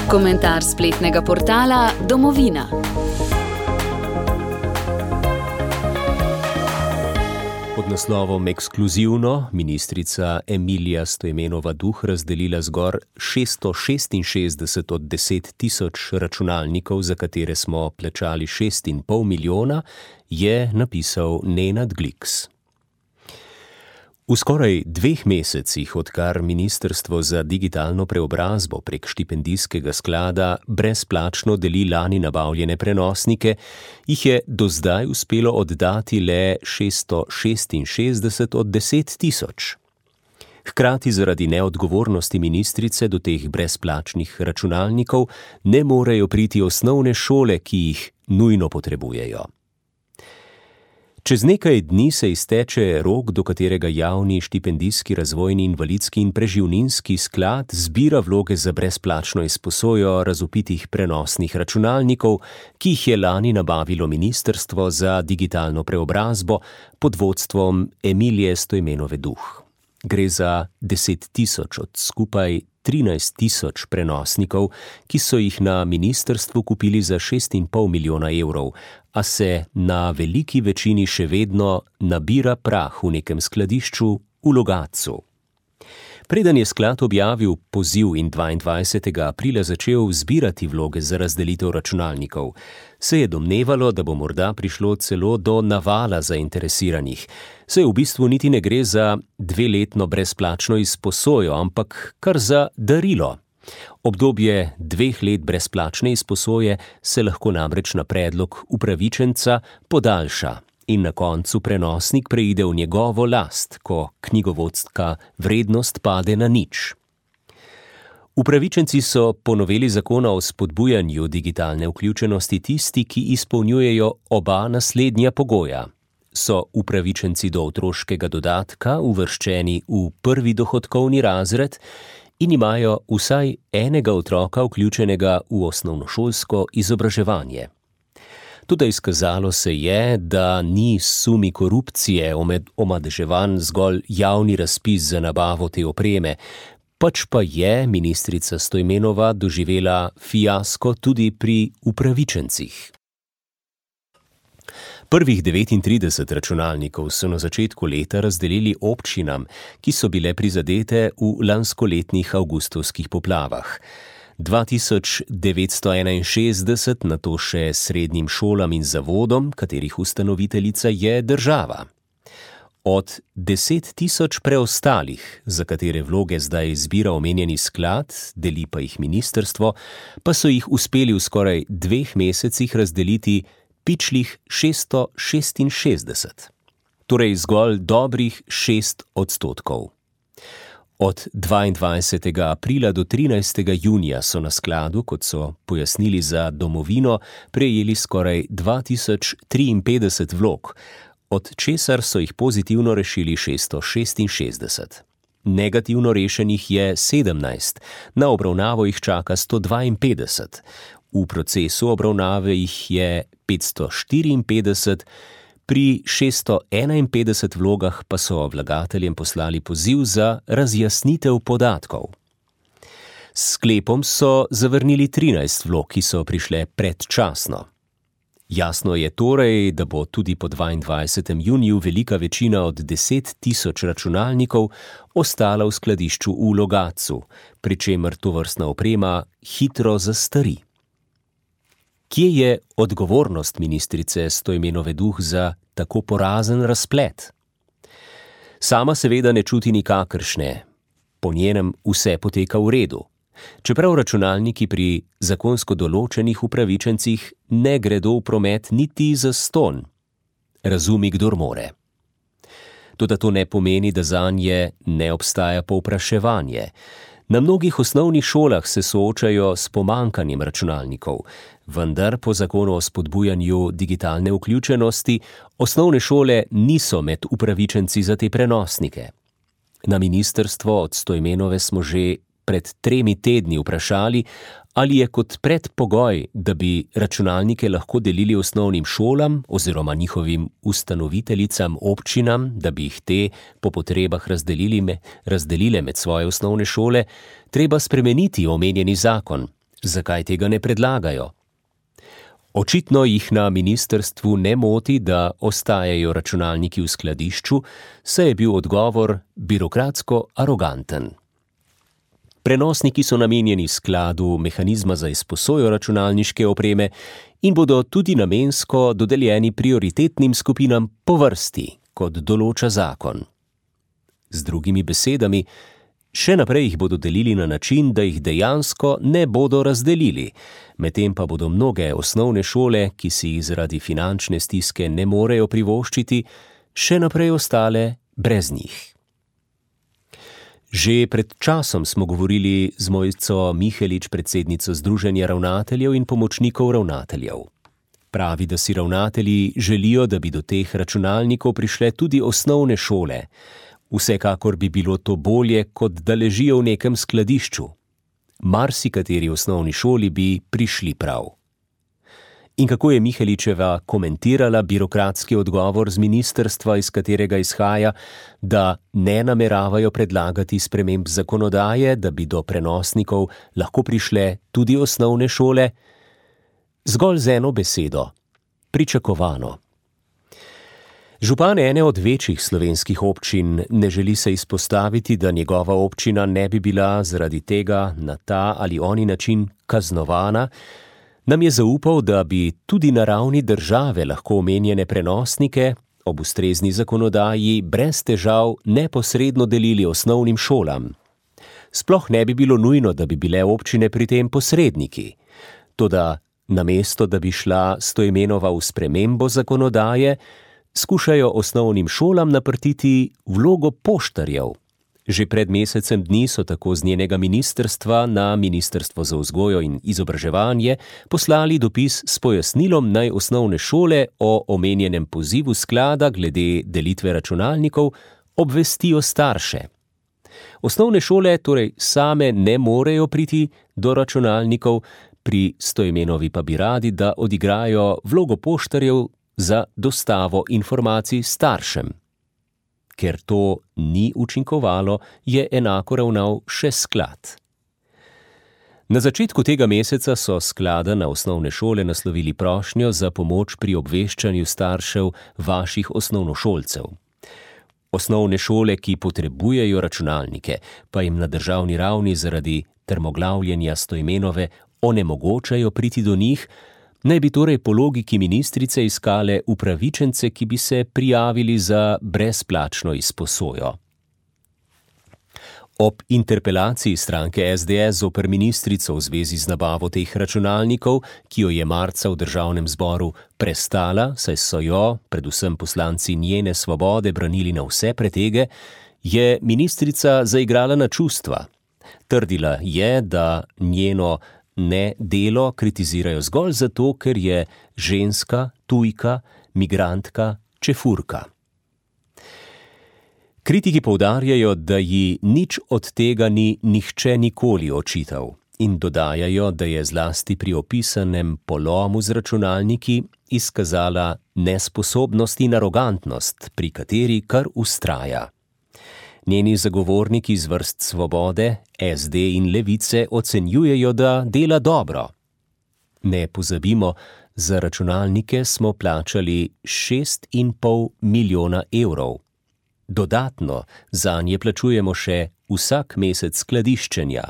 Komentar spletnega portala Domovina. Pod naslovom Ekskluzivno ministrica Emilija Stojmenova Duh razdelila zgor 666 od 10 tisoč računalnikov, za katere smo plačali 6,5 milijona, je napisal Nenad Gliks. V skoraj 2 mesecih, odkar Ministrstvo za digitalno preobrazbo prek štipendijskega sklada brezplačno deli lani nabavljene prenosnike, jih je do zdaj uspelo oddati le 666 od 10 tisoč. Hkrati zaradi neodgovornosti ministrice do teh brezplačnih računalnikov ne morejo priti osnovne šole, ki jih nujno potrebujejo. Čez nekaj dni se izteče rok, do katerega javni štipendijski, razvojni, invalidski in preživninski sklad zbira vloge za brezplačno izposojo razvpitih prenosnih računalnikov, ki jih je lani nabavilo Ministrstvo za digitalno preobrazbo pod vodstvom Emilije Stojmenove Duh. Gre za 10 tisoč od skupaj 13 tisoč prenosnikov, ki so jih na ministrstvu kupili za 6,5 milijona evrov, a se na veliki večini še vedno nabira prah v nekem skladišču v Logatcu. Preden je sklad objavil poziv in 22. aprila začel zbirati vloge za razdelitev računalnikov, se je domnevalo, da bo morda prišlo celo do navala zainteresiranih. Saj v bistvu niti ne gre za 2-letno brezplačno izposojo, ampak kar za darilo. Obdobje 2 let brezplačne izposoje se lahko namreč na predlog upravičenca podaljša in na koncu prenosnik preide v njegovo last, ko knjigovodska vrednost pade na 0. Upravičenci so po noveli zakona o spodbujanju digitalne vključenosti tisti, ki izpolnjujejo oba naslednja pogoja. So upravičenci do otroškega dodatka uvrščeni v prvi dohodkovni razred in imajo vsaj enega otroka vključenega v osnovnošolsko izobraževanje. Toda izkazalo se je, da ni sumi korupcije omadeževan zgolj javni razpis za nabavo te opreme, pač pa je ministrica Stojmenova doživela fiasko tudi pri upravičencih. Prvih 39 računalnikov so na začetku leta razdelili občinam, ki so bile prizadete v lanskoletnih avgustovskih poplavah. 2961 nato še srednjim šolam in zavodom, katerih ustanoviteljica je država. Od 10 tisoč preostalih, za katere vloge zdaj zbira omenjeni sklad, deli pa jih ministrstvo, pa so jih uspeli v skoraj 2 mesecih razdeliti pičlih 666, torej zgolj dobrih 6%. Od 22. aprila do 13. junija so na skladu, kot so pojasnili za Domovino, prejeli skoraj 2053 vlog, od česar so jih pozitivno rešili 666. Negativno rešenih je 17, na obravnavo jih čaka 152. V procesu obravnave jih je 554, pri 651 vlogah pa so vlagateljem poslali poziv za razjasnitev podatkov. S sklepom so zavrnili 13 vlog, ki so prišle predčasno. Jasno je torej, da bo tudi po 22. juniju velika večina od 10 tisoč računalnikov ostala v skladišču v Logatcu, pri čemer tovrstna oprema hitro zastari. Kje je odgovornost ministrice Stojmenove Duh za tako porazen razplet? Sama seveda ne čuti nikakršne. Po njenem vse poteka v redu. Čeprav računalniki pri zakonsko določenih upravičencih ne gredo v promet niti zastonj. Razumi, kdor more. Toda to ne pomeni, da zanje ne obstaja povpraševanje. Na mnogih osnovnih šolah se soočajo s pomanjkanjem računalnikov, vendar po zakonu o spodbujanju digitalne vključenosti osnovne šole niso med upravičenci za te prenosnike. Na ministrstvo od Stojmenove smo že pred 3 tedni vprašali, ali je kot predpogoj, da bi računalnike lahko delili osnovnim šolam oziroma njihovim ustanoviteljicam občinam, da bi jih te po potrebah razdelile med svoje osnovne šole, treba spremeniti omenjeni zakon, Zakaj tega ne predlagajo? Očitno jih na ministrstvu ne moti, da ostajajo računalniki v skladišču, saj je bil odgovor birokratsko aroganten. Prenosniki so namenjeni skladu mehanizma za izposojo računalniške opreme in bodo tudi namensko dodeljeni prioritetnim skupinam po vrsti, kot določa zakon. Z drugimi besedami, še naprej jih bodo delili na način, da jih dejansko ne bodo razdelili, medtem pa bodo mnoge osnovne šole, ki si jih zaradi finančne stiske ne morejo privoščiti, še naprej ostale brez njih. Že pred časom smo govorili z Mojco Mihelič, predsednico Združenja ravnateljev in pomočnikov ravnateljev. Pravi, da si ravnatelji želijo, da bi do teh računalnikov prišle tudi osnovne šole. Vsekakor bi bilo to bolje, kot da ležijo v nekem skladišču. Marsikateri osnovni šoli bi prišli prav. In kako je Miheličeva komentirala birokratski odgovor z ministrstva, iz katerega izhaja, da ne nameravajo predlagati sprememb zakonodaje, da bi do prenosnikov lahko prišle tudi osnovne šole? Zgolj z eno besedo: pričakovano. Župan ene od večjih slovenskih občin ne želi se izpostaviti, da njegova občina ne bi bila zaradi tega na ta ali oni način kaznovana, nam je zaupal, da bi tudi na ravni države lahko omenjene prenosnike ob ustrezni zakonodaji brez težav neposredno delili osnovnim šolam. Sploh ne bi bilo nujno, da bi bile občine pri tem posredniki. Toda namesto, da bi šla Stoimenova v spremembo zakonodaje, skušajo osnovnim šolam naprtiti vlogo poštarjev. Že pred mesecem dni so tako z njenega ministrstva na Ministrstvo za vzgojo in izobraževanje poslali dopis s pojasnilom, naj osnovne šole o omenjenem pozivu sklada glede delitve računalnikov obvestijo starše. Osnovne šole torej same ne morejo priti do računalnikov, pri Stoimenovi pa bi radi, da odigrajo vlogo poštarjev za dostavo informacij staršem. Ker to ni učinkovalo, je enako ravnal še sklad. Na začetku tega meseca so sklada na osnovne šole naslovili prošnjo za pomoč pri obveščanju staršev vaših osnovnošolcev. Osnovne šole, ki potrebujejo računalnike, pa jim na državni ravni zaradi trmoglavljenja Stoimenove onemogočajo priti do njih, naj bi torej po logiki ministrice iskale upravičence, ki bi se prijavili za brezplačno izposojo. Ob interpelaciji stranke SDS zoper ministrico v zvezi z nabavo teh računalnikov, ki jo je marca v državnem zboru prestala, saj so jo, predvsem poslanci njene Svobode, branili na vse pretege, je ministrica zaigrala na čustva. Trdila je, da njeno delo kritizirajo zgolj zato, ker je ženska, tujka, migrantka, čefurka. Kritiki poudarjajo, da ji nič od tega ni nihče nikoli očital in dodajajo, da je zlasti pri opisanem polomu z računalniki izkazala nesposobnost in arogantnost, pri kateri kar vztraja. Njeni zagovorniki iz vrst Svobode, SD in Levice ocenjujejo, da dela dobro. Ne pozabimo, za računalnike smo plačali 6,5 milijona evrov. Dodatno zanje plačujemo še vsak mesec skladiščenja,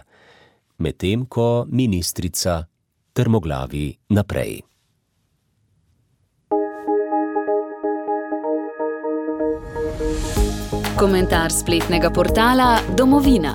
medtem ko ministrica trmoglavi naprej. Komentar spletnega portala Domovina.